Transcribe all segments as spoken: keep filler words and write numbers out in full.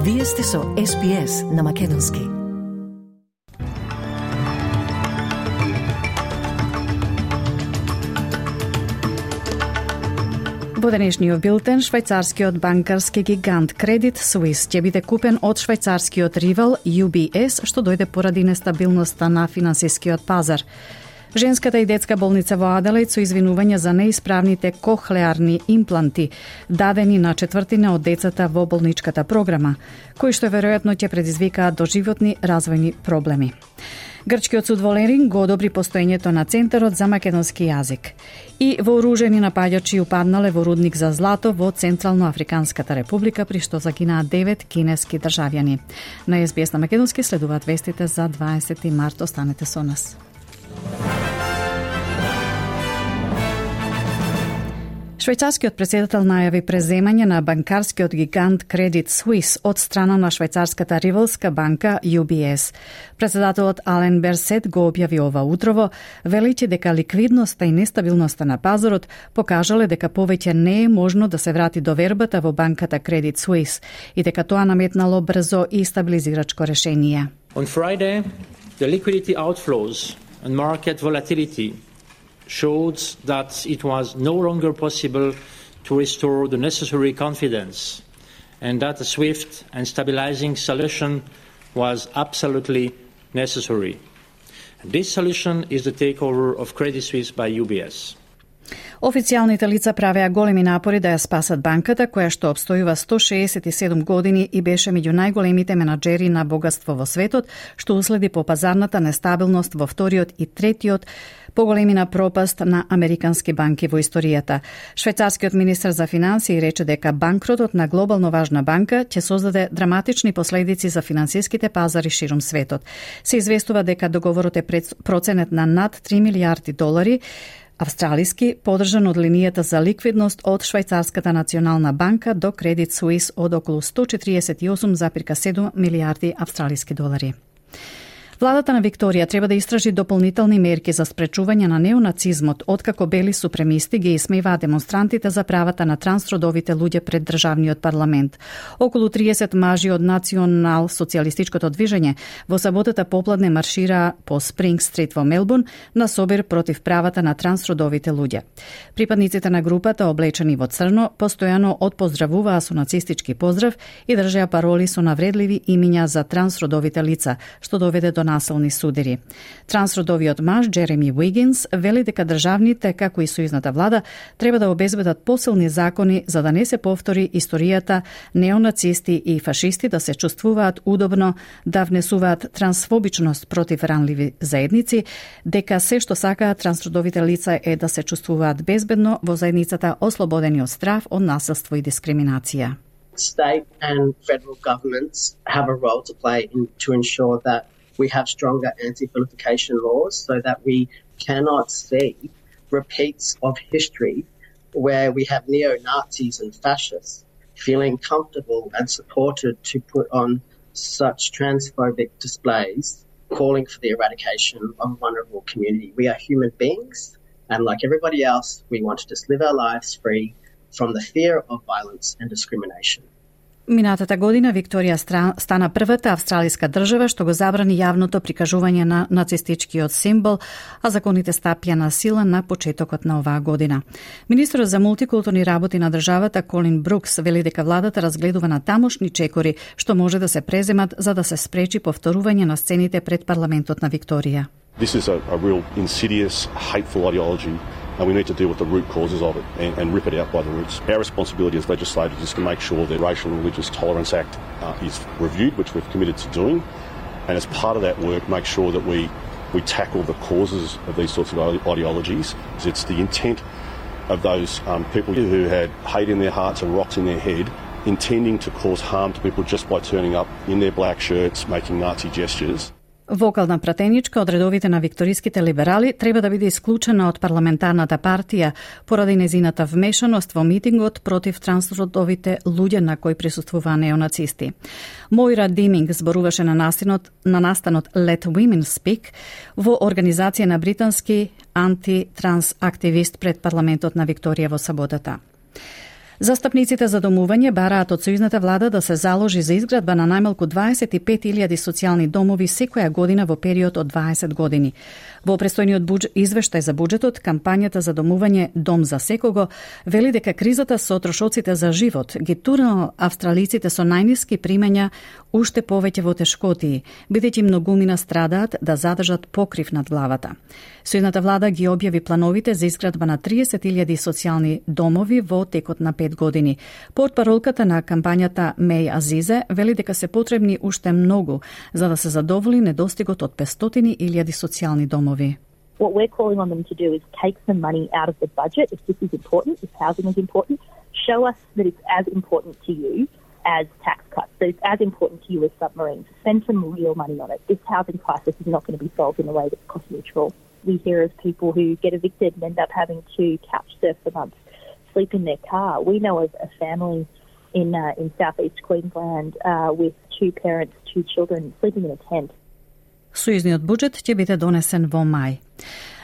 Вие сте со Ес Би Ес на Македонски. Во денешниот билтен, швајцарскиот банкарски гигант Credit Suisse ќе биде купен од швајцарскиот ривал Ю Би Ес, што дојде поради нестабилноста на финансискиот пазар. Женската и детска болница во Аделаид со извинувања за неисправните кохлеарни импланти, дадени на четвртина од децата во болничката програма, кои што веројатно ќе предизвикаат доживотни развојни проблеми. Грчкиот суд во Лерин го одобри постоењето на Центарот за македонски јазик. И вооружени напаѓачи упаднале во рудник за злато во Централно-Африканската република, при што загинаа девет кинески државјани. На Ес Би Ес на македонски следуваат вестите за дваесети март. Останете со нас. Швајцарскиот председател најави преземање на банкарскиот гигант Credit Suisse од страна на швајцарската ривалска банка Ю Би Ес. Председателот Ален Берсет го објави ова утрово, велејќи дека ликвидноста и нестабилноста на пазарот покажале дека повеќе не е можно да се врати довербата во банката Credit Suisse и дека тоа наметнало брзо и стабилизирачко решение. On Friday, the liquidity outflows and market volatility showed that it was no longer possible to restore the necessary confidence and that a swift and stabilizing solution was absolutely necessary. And this solution is the takeover of Credit Suisse by Ю Би Ес. Официјалните лица правеа големи напори да ја спасат банката, која што обстојува сто шеесет и седум години и беше меѓу најголемите менаџери на богатство во светот, што уследи по пазарната нестабилност во вториот и третиот поголемина пропаст на американски банки во историјата. Швајцарскиот министер за финансии рече дека банкротот на глобално важна банка ќе создаде драматични последици за финансиските пазари ширум светот. Се известува дека договорот е проценет на над три милијарди долари австралиски, подржан од линијата за ликвидност од Швајцарската национална банка до Credit Suisse од околу сто четириесет и осум зарез седум милијарди австралиски долари. Владата на Викторија треба да истражи дополнителни мерки за спречување на неонацизмот, откако бели супремисти ги исмеваат демонстрантите за правата на трансродовите луѓе пред државниот парламент. Околу триесет мажи од Национал социјалистичкото движење во саботата попладне маршираа по Спринг Стрит во Мелбурн на собир против правата на трансродовите луѓе. Припадниците на групата, облечени во црно, постојано отпоздравуваа со нацистички поздрав и држеа пароли со навредливи имиња за трансродовите лица, што доведе до насилни судири. Трансродовиот маж Джереми Уигинс вели дека државните, како и сојузната влада, треба да обезбедат посилни закони за да не се повтори историјата неонацисти и фашисти да се чувствуваат удобно, да внесуваат трансфобичност против ранливи заедници, дека се што сакаат трансродовите лица е да се чувствуваат безбедно во заедницата, ослободени од страф, од насилство и дискриминација. State and federal governments have a role to play in, to ensure that we have stronger anti-vilification laws so that we cannot see repeats of history where we have neo-Nazis and fascists feeling comfortable and supported to put on such transphobic displays calling for the eradication of a vulnerable community. We are human beings, and like everybody else, we want to just live our lives free from the fear of violence and discrimination. Минатата година Викторија стана првата австралиска држава што го забрани јавното прикажување на нацистичкиот символ, а законите стапија на сила на почетокот на оваа година. Министерот за мултикултурни работи на државата Колин Брукс вели дека владата разгледува на тамошни чекори што може да се преземат за да се спречи повторување на сцените пред парламентот на Викторија. This is a, a real insidious, hateful ideology, and we need to deal with the root causes of it and, and rip it out by the roots. Our responsibility as legislators is to make sure the Racial and Religious Tolerance Act uh, is reviewed, which we've committed to doing, and as part of that work, make sure that we, we tackle the causes of these sorts of ideologies. It's the intent of those um, people who had hate in their hearts and rocks in their head, intending to cause harm to people just by turning up in their black shirts, making Nazi gestures. Вокална пратеничка од редовите на викториските либерали треба да биде исклучена од парламентарната партија поради незината вмешаност во митингот против трансродовите луѓе на кои присуствуваа неонацисти. Моира Диминг зборуваше на настанот, на настанот Let Women Speak во организација на британски антитранс активист пред парламентот на Викторија во саботата. Застапниците за домување бараат од сојузната влада да се заложи за изградба на најмалку дваесет и пет илјади социјални домови секоја година во период од дваесет години. Во престојниот будж... извештај за буџетот, кампањата за домување Дом за секого вели дека кризата со трошоците за живот ги турнал австралиците со најниски примања уште повеќе во тешкотии, бидејќи многумина страдаат да задржат покрив над главата. Сојузната влада ги објави плановите за изградба на триесет илјади социјални домови во текот на пет години. Портпаролката на кампањата Меј Азизе вели дека се потребни уште многу за да се задоволи недостигот од петстотини илјади социјални домови. What we're calling on them to do is take some money out of the budget if this is important, if housing is important, show us that it's as important to you as tax cuts, that it's as important to you as submarines. Spend some real money on it. This housing crisis is not going to be solved in a way that's cost neutral. We hear of people who get evicted and end up having to couch surf for months, sleep in their car. We know of a family in uh, in southeast Queensland uh, with two parents, two children sleeping in a tent. Сојузниот буџет ќе биде донесен во мај.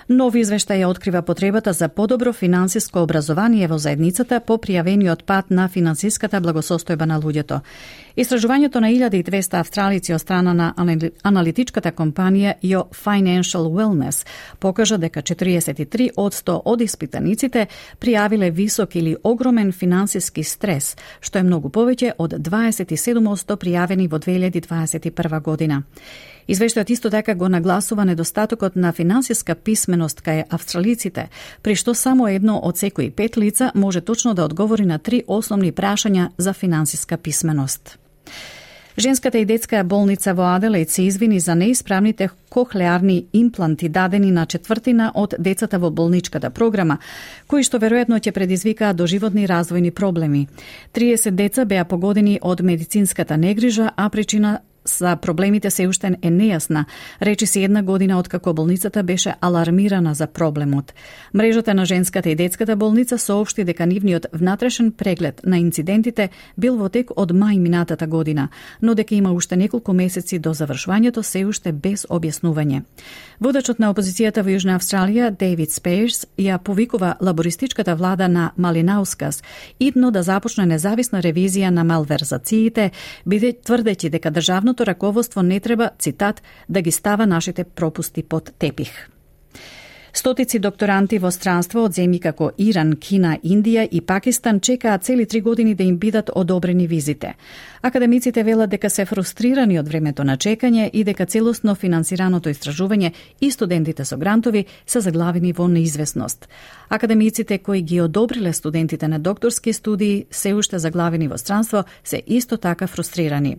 Нови извештај открива потребата за подобро финансиско образование во заедницата по пријавениот пат на финансиската благосостојба на луѓето. Истражувањето на илјада и двесте австралици од страна на аналитичката компанија Your Financial Wellness покажа дека четириесет и три одсто од испитаниците пријавиле висок или огромен финансиски стрес, што е многу повеќе од дваесет и седум одсто пријавени во две илјади дваесет и прва година. Извештајот исто така го нагласува недостатокот на финансиска писменост кај австралиците, при што само едно од секои пет лица може точно да одговори на три основни прашања за финансиска писменост. Женската и детска болница во Аделаид се извини за неисправните кохлеарни импланти дадени на четвртина од децата во болничката програма, кои што веројатно ќе предизвикаат доживотни развојни проблеми. триесет деца беа погодени од медицинската негрижа, а причина за проблемите се уште е нејасна, речи се една година откако болницата беше алармирана за проблемот. Мрежата на женската и детската болница соопшти дека нивниот внатрешен преглед на инцидентите бил во тек од мај минатата година, но дека има уште неколку месеци до завршувањето се уште без објаснување. Водачот на опозицијата во Јужна Австралија, Дейвид Спејрс, ја повикува лабористичката влада на Малинаускас идно да започне независна ревизија на малверзациите, биде тврдејќи дека државно раководство не треба, цитат, да ги става нашите пропусти под тепих. Стотици докторанти во странство од земји како Иран, Кина, Индија и Пакистан чекаат цели три години да им бидат одобрени визите. Академиците велат дека се фрустрирани од времето на чекање и дека целосно финансираното истражување и студентите со грантови се заглавени во неизвестност. Академиците кои ги одобриле студентите на докторски студии се уште заглавени во странство се исто така фрустрирани.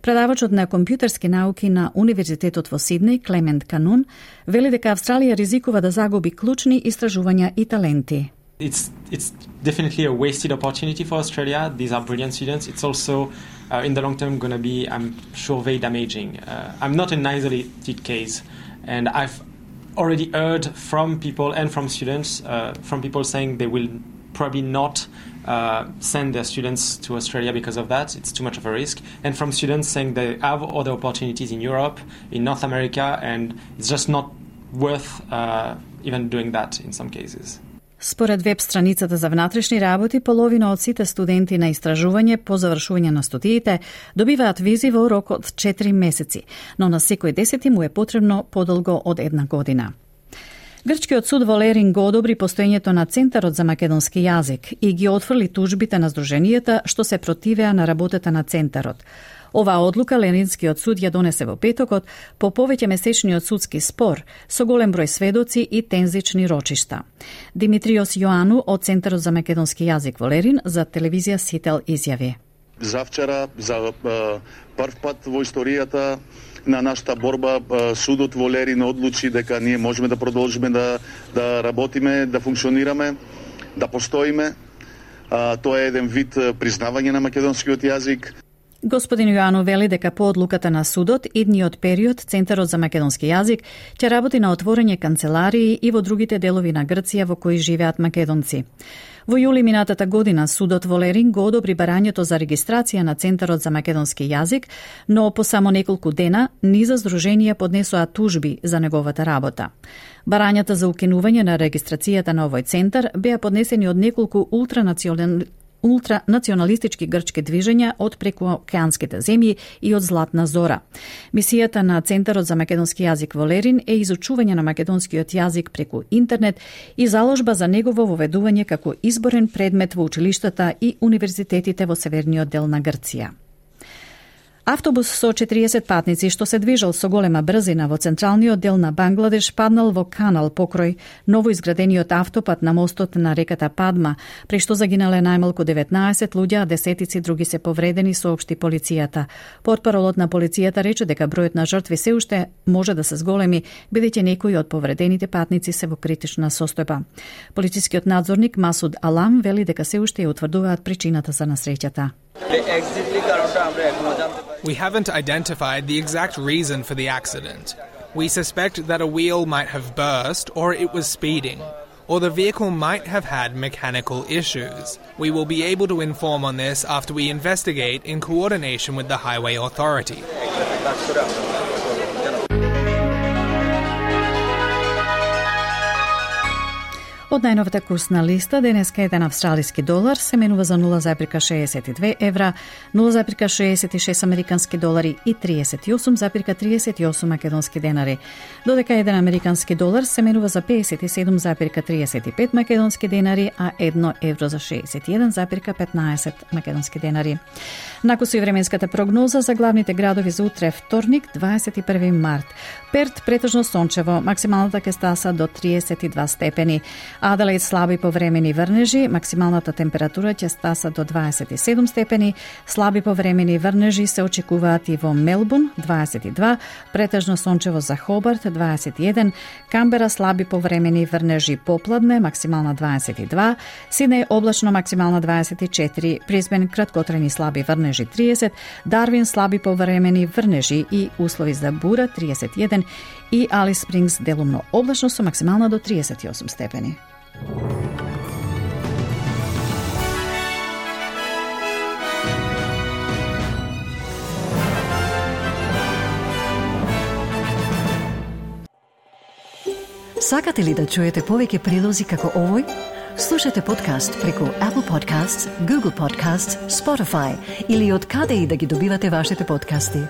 Предавачот на компјутерски науки на Универзитетот во Сиднеј, Клемент Канун, вели дека Австралија ризикува да загуби клучни истражувања и таленти. It's it's definitely a wasted opportunity for Australia. These are brilliant students. It's also, uh, in the long term, going to be, I'm sure, very damaging. Uh, I'm not an isolated case, and I've already heard from people and from students, uh, from people saying they will probably not uh, send their students to Australia because of that. It's too much of a risk. And from students saying they have other opportunities in Europe, in North America, and it's just not worth uh, even doing that in some cases. Според веб страницата за внатрешни работи, половина од сите студенти на истражување по завршување на студиите добиваат визи во рок од четири месеци, но на секој десети му е потребно подолго од една година. Грчкиот суд во Лерин го одобри постоењето на Центарот за македонски јазик и ги отфрли тужбите на здруженијата што се противеа на работата на Центарот. Оваа одлука Леринскиот суд ја донесе во петокот по повеќе месечниот судски спор со голем број сведоци и тензични рочишта. Димитриос Јоану од Центарот за македонски јазик во Лерин за телевизија Сител изјави: Завчера за прв пат во историјата на нашата борба судот во Лерин одлучи дека ние можеме да продолжиме да да работиме, да функционираме, да постоиме. Тоа е еден вид признавање на македонскиот јазик. Господин Јоану вели дека по одлуката на судот, идниот период Центарот за македонски јазик ќе работи на отворење канцеларии и во другите делови на Грција во кои живеат македонци. Во јули минатата година судот во Лерин го одобри барањето за регистрација на Центарот за македонски јазик, но по само неколку дена низа здруженија поднесоа тужби за неговата работа. Барањата за укинување на регистрацијата на овој центар беа поднесени од неколку ултранационални ултранационалистички грчки движења од прекуокеанските земји и од Златна Зора. Мисијата на Центарот за македонски јазик во Лерин е изучување на македонскиот јазик преку интернет и заложба за негово воведување како изборен предмет во училиштата и универзитетите во северниот дел на Грција. Автобус со четириесет патници што се движел со голема брзина во централниот дел на Бангладеш паднал во канал покрај новоизградениот автопат на мостот на реката Падма, при што загинале најмалку деветнаесет луѓе, а десетици други се повредени, соопшти полицијата. Портпаролот на полицијата рече дека бројот на жртви се уште може да се зголеми, бидејќи некои од повредените патници се во критична состојба. Полицискиот надзорник Масуд Алам вели дека се уште ја утврдуваат причината за насреќата. We haven't identified the exact reason for the accident. We suspect that a wheel might have burst or it was speeding, or the vehicle might have had mechanical issues. We will be able to inform on this after we investigate in coordination with the Highway Authority. Од најновата курсна листа, денеска еден австралиски долар се менува за нула зарез шеесет и две евра, нула зарез шеесет и шест американски долари и триесет и осум зарез триесет и осум македонски денари, додека еден американски долар се менува за пеесет и седум зарез триесет и пет македонски денари, а едно евро за шеесет и еден зарез петнаесет македонски денари. Накусу и временската прогноза за главните градови за утре, вторник, дваесет и први март. Перт претежно сончево, максималната ќе стаса до триесет и два степени. Аделаид слаби повремени врнежи, максималната температура ќе стаса до дваесет и седум степени. Слаби повремени врнежи се очекуваат и во Мелбурн дваесет и два, претежно сончево за Хобарт дваесет и еден, Камбера слаби повремени врнежи попладне, максимална дваесет и два, Сиднеј облачно, максимална дваесет и четири, Брисбен краткотрени слаби врнежи триесет, Дарвин слаби повремени врнежи и услови за бура триесет и еден и Алис Спрингс делумно облачно со максимална до триесет и осум степени. Сакате ли да чуете повеќе прилози како овој? Слушате подкаст преку Apple Podcasts, Google Podcasts, Spotify или од каде и да ги добивате вашите подкасти.